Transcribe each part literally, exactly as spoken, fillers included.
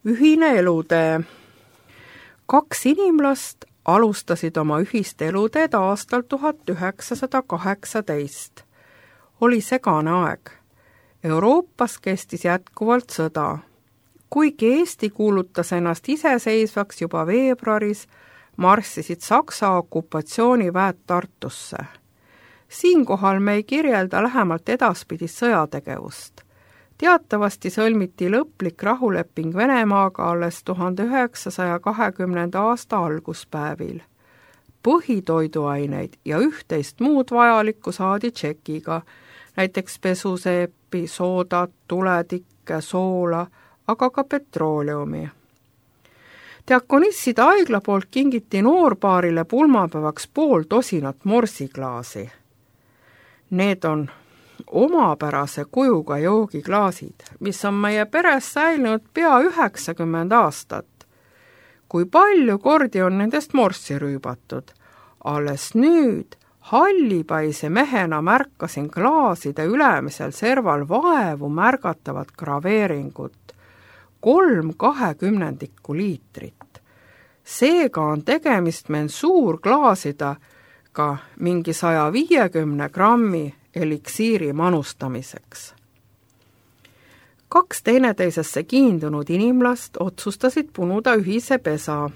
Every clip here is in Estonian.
Ühine elutee. Kaks inimlast alustasid oma ühist eluteed aastal tuhat üheksasada kaheksateist. Oli segane aeg. Euroopas kestis jätkuvalt sõda. Kuigi Eesti kuulutas ennast iseseisvaks juba veebruaris, marssisid Saksa okupatsiooniväed Tartusse. Siinkohal me ei kirjelda lähemalt edaspidist sõjategevust. Teatavasti sõlmiti lõplik rahuleping Venemaaga alles tuhande üheksasaja kahekümnenda aasta alguspäevil. Põhitoiduaineid ja üht-teist muud vajalikku saadi tšekiga, näiteks pesuseepi, soodat, tuletikke, soola, aga ka petrooleumi. Diakonisside haigla poolt kingiti noorpaarile pulmapäevaks pool tosinat morsiklaasi. Need on omapärase kujuga joogiklaasid, mis on meie peres säilinud pea üheksakümmend aastat. Kui palju kordi on nendest morssi rüübatud, alles nüüd hallipaise mehena märkasin klaaside ülemisel serval vaevu märgatavat graveeringut, kolm kahekümnendikku liitrit. Seega on tegemist mensuurklaasidega ka mingi saja viiekümne grammi eliksiiri manustamiseks. Kaks teineteisesse kiindunud inimlast otsustasid punuda ühise pesa.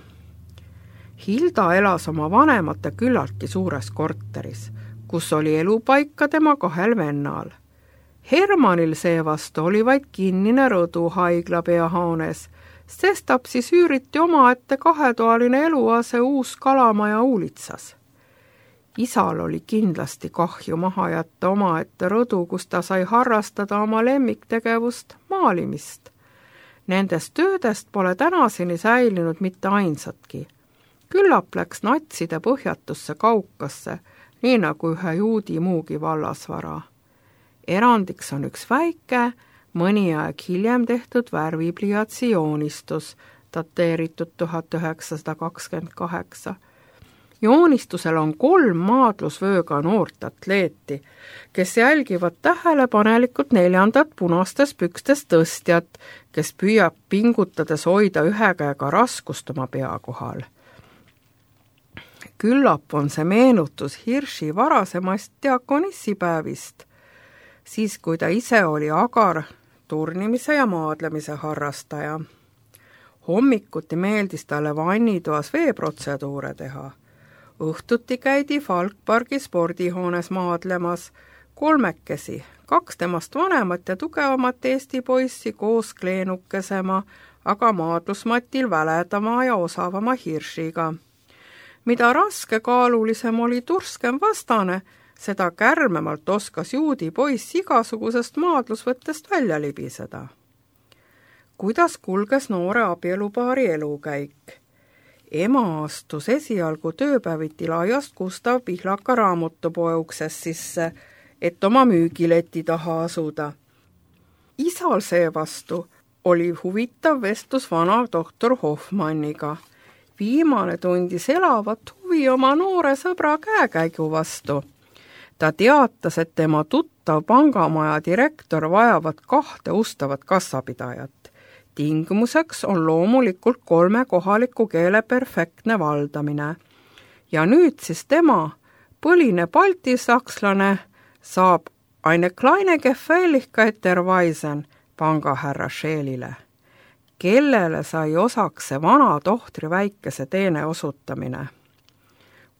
Hilda elas oma vanemate küllaltki suures korteris, kus oli elupaika tema kahel vennal. Hermanil seevastu oli vaid kinnine rõdu haigla peahoones, sest apsis üüriti omaette kahetoaline eluase uus kalamaja Uulitsas. Isal oli kindlasti kahju maha jätta omaette rõdu, kus ta sai harrastada oma lemmiktegevust maalimist. Nendest töödest pole tänaseni säilinud mitte ainsatki. Küllap läks natside põhjatusse Kaukasse, nii nagu ühe juudi muugi vallasvara. Erandiks on üks väike, mõni aeg hiljem tehtud värvipliatsi joonistus, dateeritud tuhat üheksasada kakskümmend kaheksa. Joonistusel on kolm maadlusvööga noort atleeti, kes jälgivad tähelepanelikult neljandat punastes pükstes tõstjat, kes püüab pingutades hoida ühe käega raskust oma pea kohal. Küllap on see meenutus Hirši varasemast diakonissipäevist, siis kui ta ise oli agar turnimise ja maadlemise harrastaja. Hommikuti meeldis talle vannitoas veeprotseduure teha. Õhtuti käidi Falkpargi spordihoones maadlemas kolmekesi, kaks temast vanemat ja tugevamat Eesti poissi koos kleenukesema, aga maadlusmatil väledama ja osavama Hiršiga. Mida raskekaalulisem oli turskem vastane, seda kärmemalt oskas juudi poiss igasugusest maadlusvõttest välja libiseda. Kuidas kulges noore abielupaari elukäik? Ema astus esialgu tööpäeviti laiast Gustav Pihlaka raamatupoe uksest sisse, et oma müügileti taha asuda. Isal seevastu oli huvitav vestlus vana doktor Hoffmanniga. Viimane tundis elavat huvi oma noore sõbra käekäigu vastu. Ta teatas, et tema tuttav pangamaja direktor vajavad kahte ustavat kassapidajat. Tingimuseks on loomulikult kolme kohaliku keele perfektne valdamine. Ja nüüd siis tema, põline baltisakslane, saab eine kleine Gefälligkeit erweisen pangahärra Scheelile, kellele sai osaks see vana tohtri väikese teene osutamine.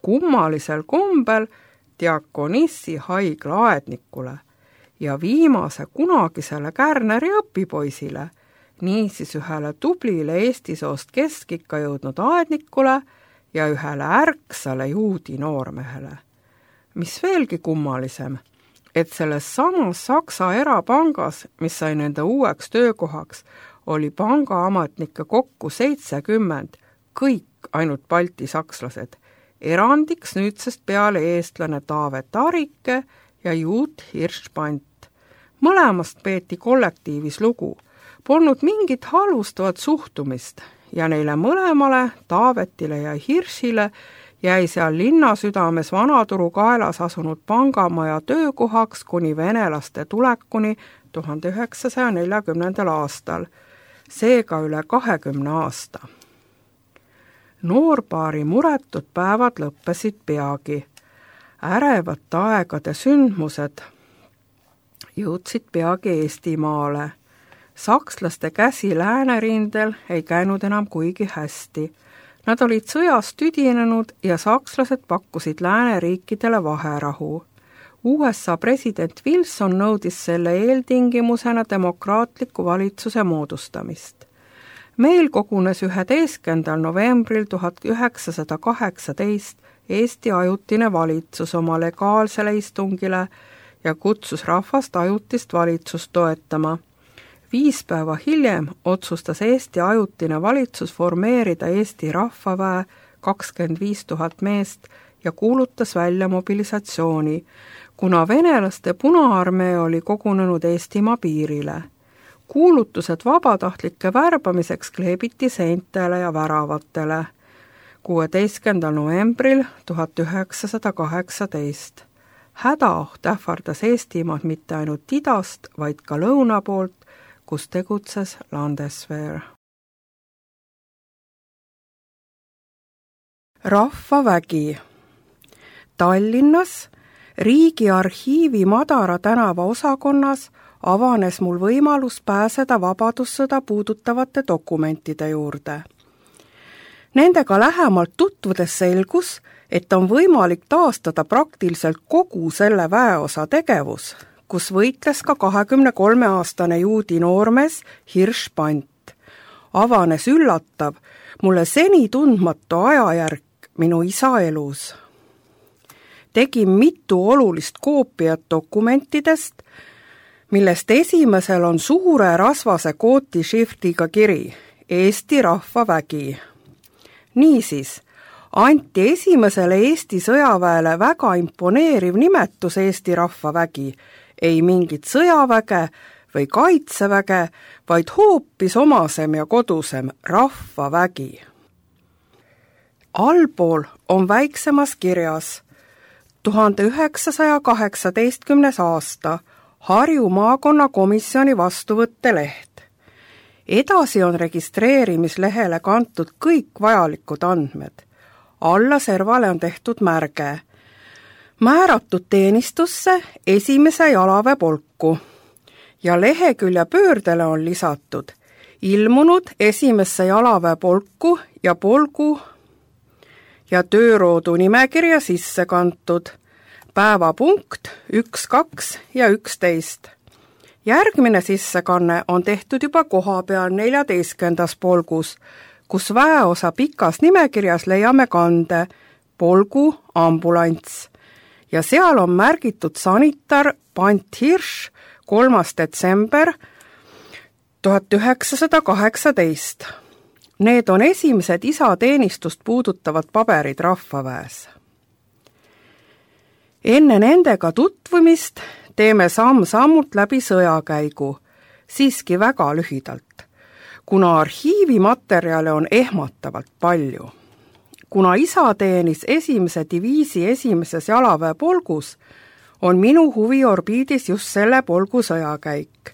Kummalisel kombel diakonissi haigla aednikule ja viimase kunagisele Kärneri õpipoisile, niisiis ühele tublile Eesti soost keskikka jõudnud aednikule ja ühele ärksale juudi noormehele. Mis veelgi kummalisem, et selles samas Saksa erapangas, mis sai nende uueks töökohaks, oli pangaamatnikke kokku seitsekümmend, kõik ainult baltisakslased, erandiks nüüdsest peale eestlane Taavet Arike ja juut Hirschpant. Mõlemast peeti kollektiivis lugu. Polnud mingit halvustavat suhtumist ja neile mõlemale, Taavetile ja Hiršile, jäi seal linnasüdames Vanaturu kaelas asunud pangamaja töökohaks kuni venelaste tulekuni tuhande üheksasaja neljakümnendal aastal, seega üle kahekümne aasta. Noorpaari muretud päevad lõppesid peagi. Ärevate aegade sündmused jõudsid peagi Eestimaale. Sakslaste käsi läänerindel ei käinud enam kuigi hästi. Nad olid sõjas tüdinenud ja sakslased pakkusid lääneriikidele vaherahu. U S A president Wilson nõudis selle eeltingimusena demokraatliku valitsuse moodustamist. Meil kogunes üheteistkümnendal novembril tuhat üheksasada kaheksateist Eesti ajutine valitsus oma legaalsele istungile ja kutsus rahvast ajutist valitsust toetama. Viis päeva hiljem otsustas Eesti ajutine valitsus formeerida Eesti rahvaväe kakskümmend viis tuhat meest ja kuulutas välja mobilisatsiooni, kuna venelaste Punaarmee oli kogunenud Eestimaa piirile. Kuulutused vabatahtlike värbamiseks kleebiti seintele ja väravatele. kuueteistkümnendal novembril tuhat üheksasada kaheksateist. Hädaoht ähvardas Eestimaad mitte ainult idast, vaid ka lõuna poolt, kus tegutses Landeswehr. Rahvavägi. Tallinnas Riigiarhiivi Madara tänava osakonnas avanes mul võimalus pääseda vabadussõda puudutavate dokumentide juurde. Nendega lähemalt tutvudes selgus, et on võimalik taastada praktiliselt kogu selle väeosa tegevus, kus võitles ka kahekümne kolme aastane juudi noormees Hirsch Pant. Avanes üllatav, mulle seni tundmatu ajajärk minu isa elus. Tegin mitu olulist koopiat dokumentidest, millest esimesel on suure rasvase kooti šriftiga kiri Eesti Rahvavägi. Niisiis, anti esimesele Eesti sõjaväele väga imponeeriv nimetus Eesti Rahvavägi, ei mingit sõjaväge või kaitseväge, vaid hoopis omasem ja kodusem Rahvavägi. Allpool on väiksemas kirjas tuhande üheksasaja kaheksateistkümnes aasta Harju maakonna komisjoni vastuvõtteleht. Edasi on registreerimislehele kantud kõik vajalikud andmed. Alla servale on tehtud märge. Määratud teenistusse esimese jalaväe polku ja lehekülje pöördele on lisatud ilmunud esimesse jalaväe polku ja polgu ja tööroodu nimekirja sisse kantud. Päevapunkt üks, kaks ja üksteist. Järgmine sissekanne on tehtud juba koha peal neljateistkümnendas polgus, kus väeosa pikas nimekirjas leiame kande polgu ambulants ja seal on märgitud sanitar Pant Hirsch kolmas detsember tuhat üheksasada kaheksateist. Need on esimesed isateenistust puudutavad paberid rahvaväes. Enne nendega tutvumist teeme samm-sammult läbi sõjakäigu, siiski väga lühidalt, kuna arhiivimaterjale on ehmatavalt palju. Kuna isa teenis esimese diviisi esimeses jalaväe polgus, on minu huvi orbiidis just selle polgu sõjakäik.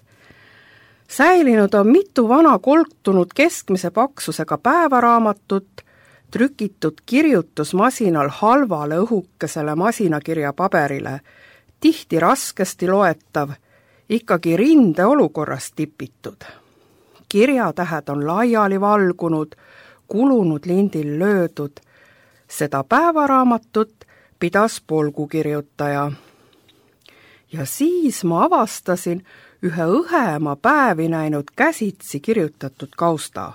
Säilinud on mitu vana koltunud keskmise paksusega päevaraamatut, trükitud kirjutusmasinal halvale õhukesele masinakirja paberile, tihti raskesti loetav, ikkagi rinde olukorrast tipitud. Kirjatähed on laiali valgunud, kulunud lindil löödud. Seda päevaraamatut pidas polgukirjutaja. Ja siis ma avastasin ühe õhema päevi näinud käsitsi kirjutatud kausta.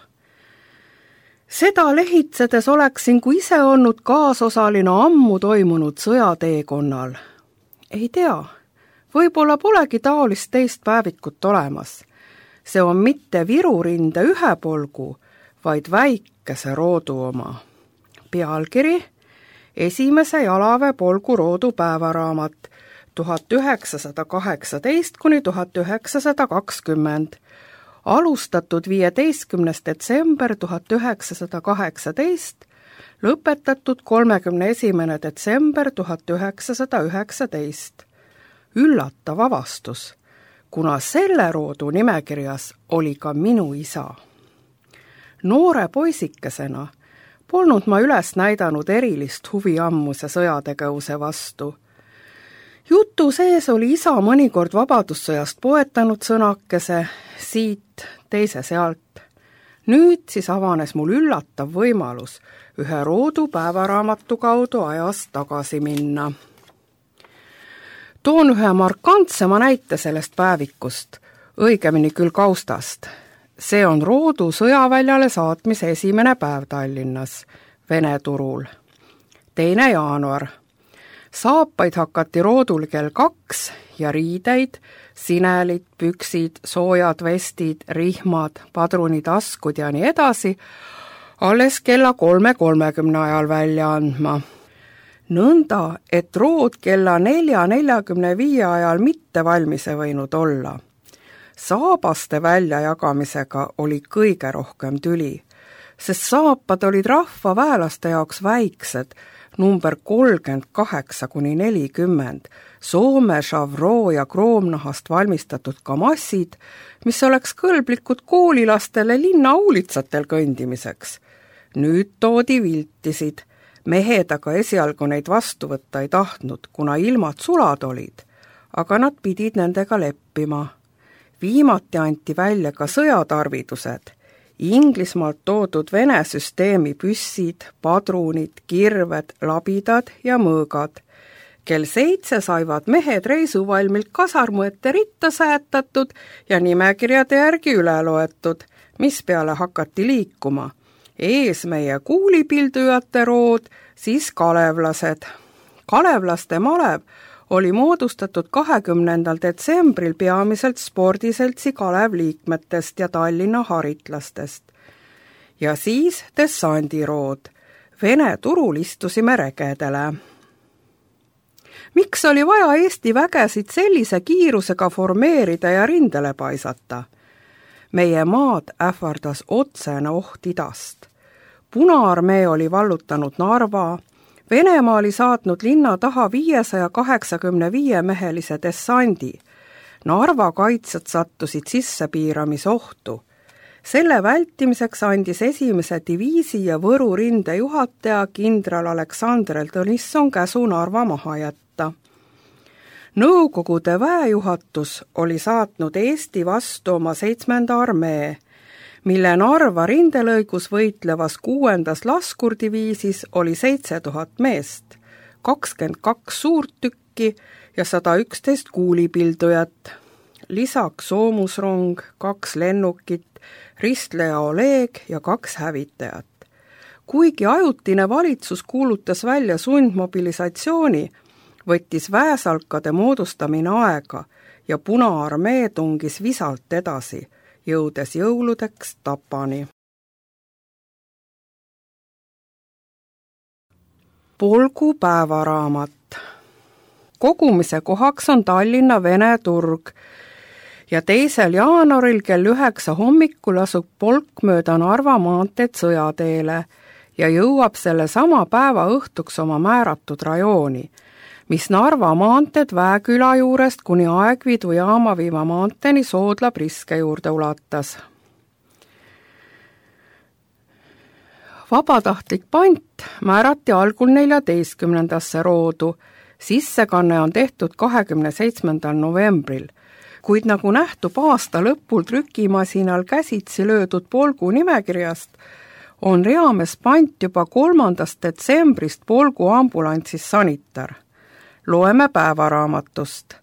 Seda lehitsedes oleksin kui ise olnud kaasosaline ammu toimunud sõjateekonnal. Ei tea, võib-olla polegi taolist teist päevikut olemas. See on mitte Viru rinde ühe polgu, vaid väikese roodu oma. Pealkiri esimese jalaväe polgu roodu päevaraamat tuhat üheksasada kaheksateist kuni tuhat üheksasada kakskümmend, alustatud viieteistkümnes detsember tuhat üheksasada kaheksateist, lõpetatud kolmekümne esimene detsember tuhat üheksasada üheksateist. Üllatav avastus, kuna selle roodu nimekirjas oli ka minu isa. Noore poisikesena polnud ma üles näidanud erilist huvi ammuse sõjategevuse vastu. Jutu sees oli isa mõnikord vabadussõjast poetanud sõnakese, siit, teise sealt. Nüüd siis avanes mul üllatav võimalus ühe Roodu päevaraamatu kaudu ajas tagasi minna. Toon ühe markantsema näite sellest päevikust, õigemini küll kaustast. See on Roodu sõjaväljale saatmise esimene päev Tallinnas, Vene turul. teine jaanuar. Saapaid hakati Roodul kell kaks ja riideid, sinelid, püksid, soojad vestid, rihmad, padrunitaskud ja nii edasi, alles kella kolme kolmekümne ajal välja andma. Nõnda, et Rood kella nelja neljakümne viie ajal mitte valmis ei võinud olla. Saabaste väljajagamisega oli kõige rohkem tüli, sest saapad olid rahva väelaste jaoks väiksed, number kolmkümmend kaheksa kuni nelikümmend, Soome, Šavro ja kroomnahast valmistatud kamassid, mis oleks kõlblikud koolilastele linna uulitsatel kõndimiseks. Nüüd toodi viltisid, mehed aga esialgu neid vastu võtta ei tahtnud, kuna ilmad sulad olid, aga nad pidid nendega leppima. Viimati anti välja ka sõjatarvidused, Inglismaalt toodud Vene süsteemi püssid, padrunid, kirved, labidad ja mõõgad. Kell seitse saivad mehed reisuvalmilt kasarmu ette ritta säätatud ja nimekirjade järgi üle loetud, mis peale hakati liikuma. Ees meie kuulipildujate Rood, siis kalevlased. Kalevlaste malev oli moodustatud kahekümnendal detsembril peamiselt spordiseltsi Kalev liikmetest ja Tallinna haritlastest. Ja siis dessandirood. Vene turul istusime regedele. Miks oli vaja Eesti vägesid sellise kiirusega formeerida ja rindele paisata? Meie maad ähvardas otsene oht idast. Punaarmee oli vallutanud Narva, Venemaa oli saatnud linna taha viiesaja kaheksakümne viie mehelise dessandi. Narva kaitsjad sattusid sissepiiramisohtu. Selle vältimiseks andis esimese diviisi ja Võru rinde juhataja kindral Aleksandr Tõnisson käsu Narva maha jätta. Nõukogude väejuhatus oli saatnud Eesti vastu oma seitsmenda armee, mille Narva rindelõigus võitlevas kuuendas laskurdiviisis oli seitse tuhat meest, kakskümmend kaks suurtükki ja sada üksteist kuulipildujat. Lisaks soomusrong, kaks lennukit, ristleja Oleg ja kaks hävitajat. Kuigi ajutine valitsus kuulutas välja sundmobilisatsiooni, võttis väesalkade moodustamine aega ja Punaarmee tungis visalt edasi, jõudes jõuludeks Tapani. Polgu päevaraamat. Kogumise kohaks on Tallinna Vene turg ja teisel jaanuaril kell üheksa hommikul asub polk mööda Narva maanteed Sõjateele ja jõuab selle sama päeva õhtuks oma määratud rajooni, mis Narva maanteed Väeküla juurest kuni Aegviidu Jaamaviima maanteeni Soodla Priske juurde ulatas. Vabatahtlik pant määrati algul neljateistkümnendasse Roodu, sissekanne on tehtud kahekümne seitsmendal novembril, kuid nagu nähtub aasta lõpul trükimasinal käsitsi löödud polgu nimekirjast, on reames pant juba kolmandast detsembrist polgu ambulantsis sanitar. Loeme päevaraamatust.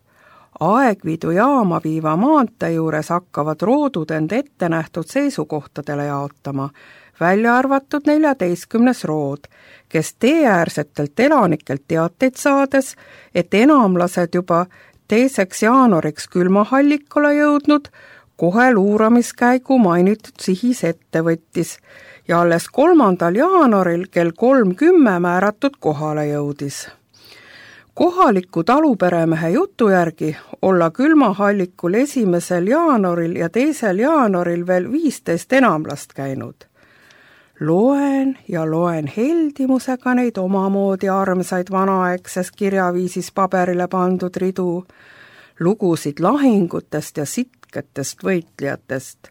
Aegviidu Jaamaviima maantee juures hakkavad Roodud end ette nähtud seisukohtadele jaotama, välja arvatud neljateistkümnes Rood, kes teeäärsetelt elanikelt teateid saades, et enamlased juba teiseks jaanuariks külmahallikule jõudnud, kohe luuramiskäigu mainitud sihis ette võttis ja alles kolmandal jaanuaril kell kolm kümme määratud kohale jõudis. Kohaliku taluperemehe jutu järgi olla külmahallikul esimesel jaanuaril ja teisel jaanuaril veel viisteist enamlast käinud. Loen ja loen heldimusega neid omamoodi armsaid vanaaegses kirjaviisis paberile pandud ridu, lugusid lahingutest ja sitketest võitlejatest.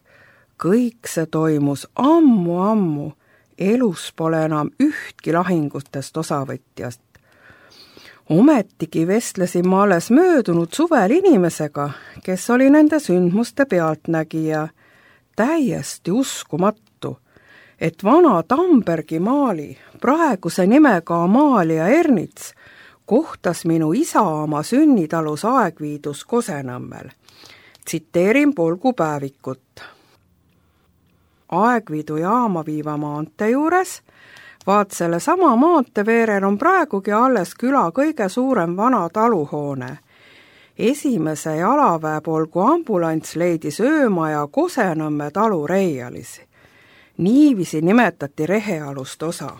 kõik see toimus ammu-ammu, elus pole enam ühtki lahingutest osavõtjast. Ometigi vestlesin ma alles möödunud suvel inimesega, kes oli nende sündmuste pealtnägija. Täiesti uskumatu, et vana Tambergi maali, praeguse nimega Amalia Ernits, kohtas minu isa oma sünnitalus Aegviidus Kosenõmmel. Tsiteerin Polgu päevikut. Aegviidu jaama viiva maante juures, vaat selle sama maante veerel on praegugi alles küla kõige suurem vana taluhoone. Esimese jalaväe Polgu ambulants leidis öömaja Kosenõmme talu Reialis. Niivisi nimetati rehealust osa.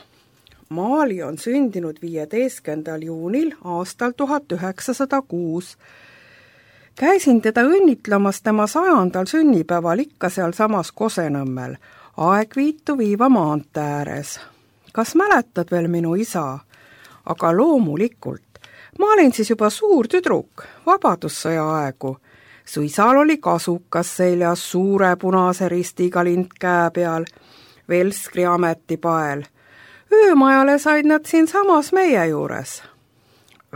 Maali on sündinud viieteistkümnendal juunil aastal tuhat üheksasada kuus. Käisin teda õnnitlemas tema sajandal sünnipäeval ikka seal samas Kosenõmmel, Aegviitu viiva maante ääres. Kas mäletad veel minu isa? Aga loomulikult. Ma olin siis juba suur tüdruk, vabadussõja aegu. Su isal oli kasukas seljas suure punase ristiga lint käe peal, Velskri ametipael. Öömajale said nad siin samas meie juures.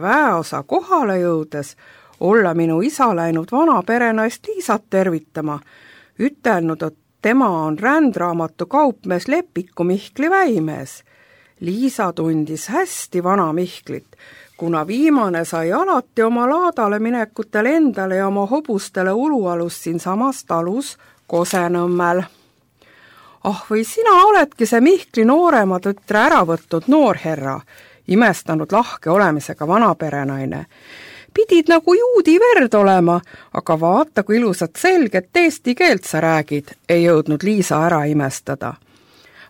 Väeosa kohale jõudes olla minu isa läinud vana perenaist Liisat tervitama, ütelnud, et tema on rändraamatu kaupmees Lepiku Mihkli väimees. Liisa tundis hästi vana Mihklit, kuna viimane sai alati oma laadale minekutel endale ja oma hobustele ulualust siin samas talus Kosenõmmel. Ah, või sina oledki see Mihkli noorema tütre ära võtnud noorherra, imestanud lahke olemisega vanaperenaine. Pidid nagu juudi verd olema, aga vaata, kui ilusat selget eesti keelt sa räägid, ei jõudnud Liisa ära imestada.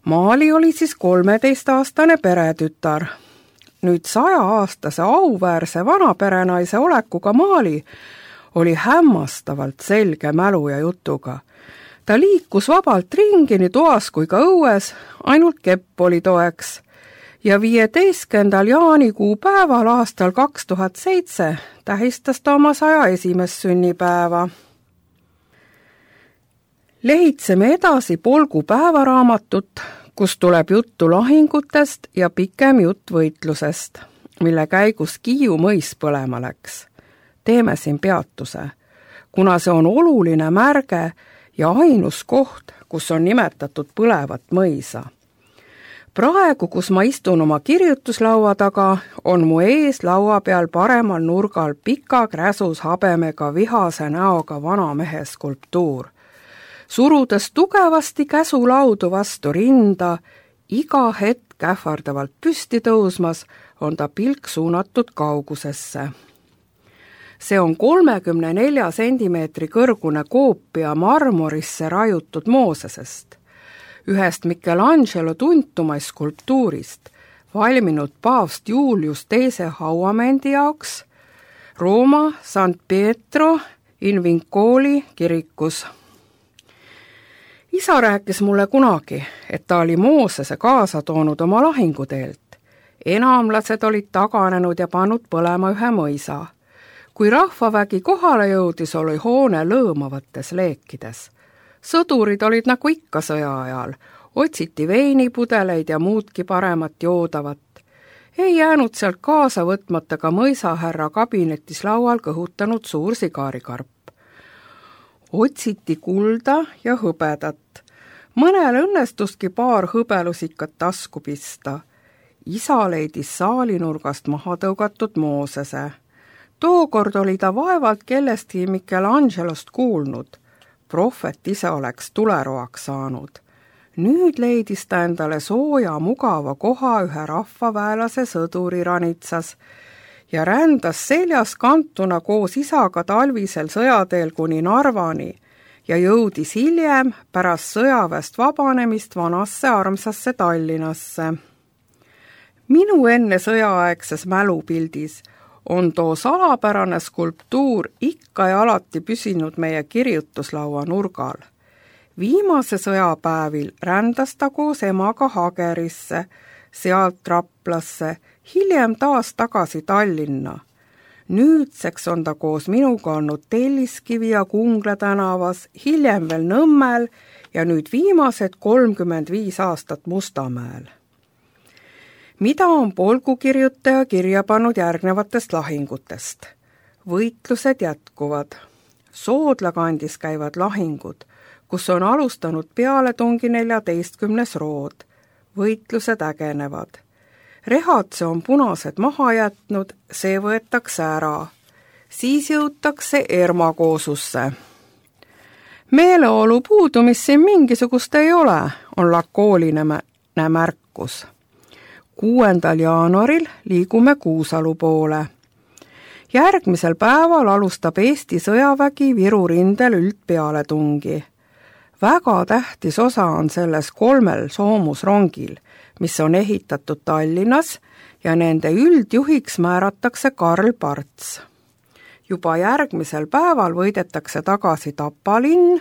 Maali oli siis kolmeteistaastane peretütar. Nüüd saja-aastase auväärse vanaperenaise olekuga Maali oli hämmastavalt selge mälu ja jutuga. Ta liikus vabalt ringi nii toas kui ka õues, ainult kepp oli toeks. Ja viieteistkümnendal jaanikuu päeval aastal kaks tuhat seitse tähistas ta oma saja esimest sünnipäeva. Lehitseme edasi Polgu päevaraamatut, kus tuleb juttu lahingutest ja pikem jutt võitlusest, mille käigus Kiiu mõis põlema läks. Teeme siin peatuse, kuna see on oluline märge ja ainus koht, kus on nimetatud põlevat mõisa. Praegu, kus ma istun oma kirjutuslaua taga, on mu ees laua peal paremal nurgal pika kräsus habemega vihase näoga vana mehe skulptuur. Surudes tugevasti käsulaudu vastu rinda, iga hetk ähvardavalt püsti tõusmas, on ta pilk suunatud kaugusesse. See on kolmekümne nelja sentimeetri kõrgune koopia marmorisse raiutud Moosesest, ühest Michelangelo tuntumais skulptuurist, valminud paavst Julius teise hauamendi jaoks Rooma San Pietro in Vincoli kirikus. Isa rääkis mulle kunagi, et ta oli Moosese kaasa toonud oma lahinguteelt. Enamlased olid taganenud ja pannud põlema ühe mõisa. Kui rahvavägi kohale jõudis, oli hoone lõõmavates leekides. Sõdurid olid nagu ikka sõja ajal, otsiti veinipudeleid ja muudki paremat joodavat. Ei jäänud sealt kaasa võtmata ka mõisahärra kabinetis laual kõhutanud suur sigaarikarp. Otsiti kulda ja hõbedat. Mõnel õnnestuski paar hõbelusikat tasku pista. Isa leidis saalinurgast maha tõugatud Moosese. Tookord oli ta vaevalt kellestki Michelangelost kuulnud. Prohvet ise oleks tuleroaks saanud. Nüüd leidis ta endale sooja mugava koha ühe rahvaväelase sõduri ranitsas ja rändas seljas kantuna koos isaga talvisel sõjateel kuni Narvani ja jõudis hiljem pärast sõjaväest vabanemist vanasse armsasse Tallinnasse. Minu enne sõjaaegses mälupildis on too salapärane skulptuur ikka ja alati püsinud meie kirjutuslaua nurgal. Viimase sõjapäevil rändas ta koos emaga Hagerisse, sealt Raplasse, hiljem taas tagasi Tallinna. Nüüdseks on ta koos minuga olnud Telliskivi ja Kungla tänavas, hiljem veel Nõmmel ja nüüd viimased kolmkümmend viis aastat Mustamäel. Mida on polgukirjutaja kirja pannud järgnevatest lahingutest? Võitlused jätkuvad. Soodla kandis käivad lahingud, kus on alustanud pealetungi neljateistkümnes rood. Võitlused ägenevad. Rehatse on punased maha jätnud, see võetakse ära. Siis jõutakse Ermakoosusse. Meeleolu puudumist siin mingisugust ei ole, on lakooline märkus. kuuendal jaanuaril liigume Kuusalu poole. Järgmisel päeval alustab Eesti sõjavägi Viru rindel üldpealetungi. Väga tähtis osa on selles kolmel soomusrongil, mis on ehitatud Tallinnas ja nende üldjuhiks määratakse Karl Parts. Juba järgmisel päeval võidetakse tagasi Tapa linn,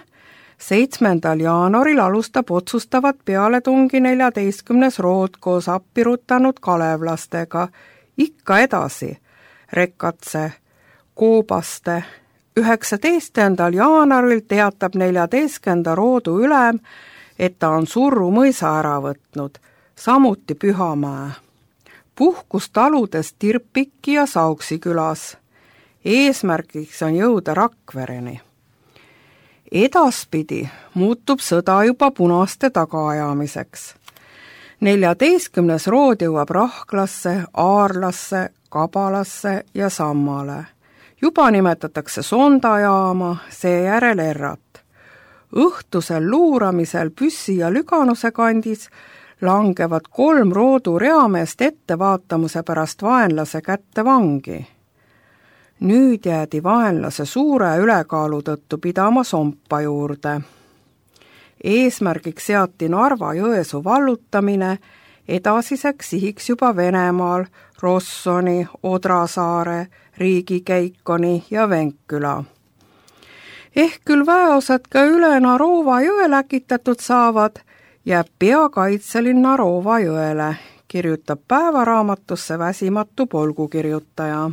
seitsmendal jaanuaril alustab otsustavat pealetungi neljateistkümnes rood koos appi rutanud kalevlastega, ikka edasi, Rekatse, Koobaste. üheksateistkümnendal jaanuaril teatab neljateistkümnenda roodu ülem, et ta on Surru mõisa ära võtnud, samuti Pühamäe. Puhkus taludes Tirpiki ja Sauksi külas. Eesmärgiks on jõuda Rakvereni. Edaspidi muutub sõda juba punaste tagaajamiseks. neljateistkümnes rood jõuab Rahklasse, Aarlasse, Kabalasse ja Sammale. Juba nimetatakse sondajaama, seejärel Errat. Õhtusel luuramisel Püssi ja Lüganuse kandis langevad kolm roodu reameest ettevaatamuse pärast vaenlase kätte vangi. Nüüd jäädi vaenlase suure ülekaalu tõttu pidama Sompa juurde. Eesmärgiks seati Narva-Jõesuu vallutamine, edasiseks sihiks juba Venemaal Rossoni, Odrasaare, Riigikeikoni ja Venkküla. Ehk küll väeosad ka üle Narova jõe läkitatud saavad, jääb peakaitselinn Narova jõele, kirjutab päevaraamatusse väsimatu polgukirjutaja.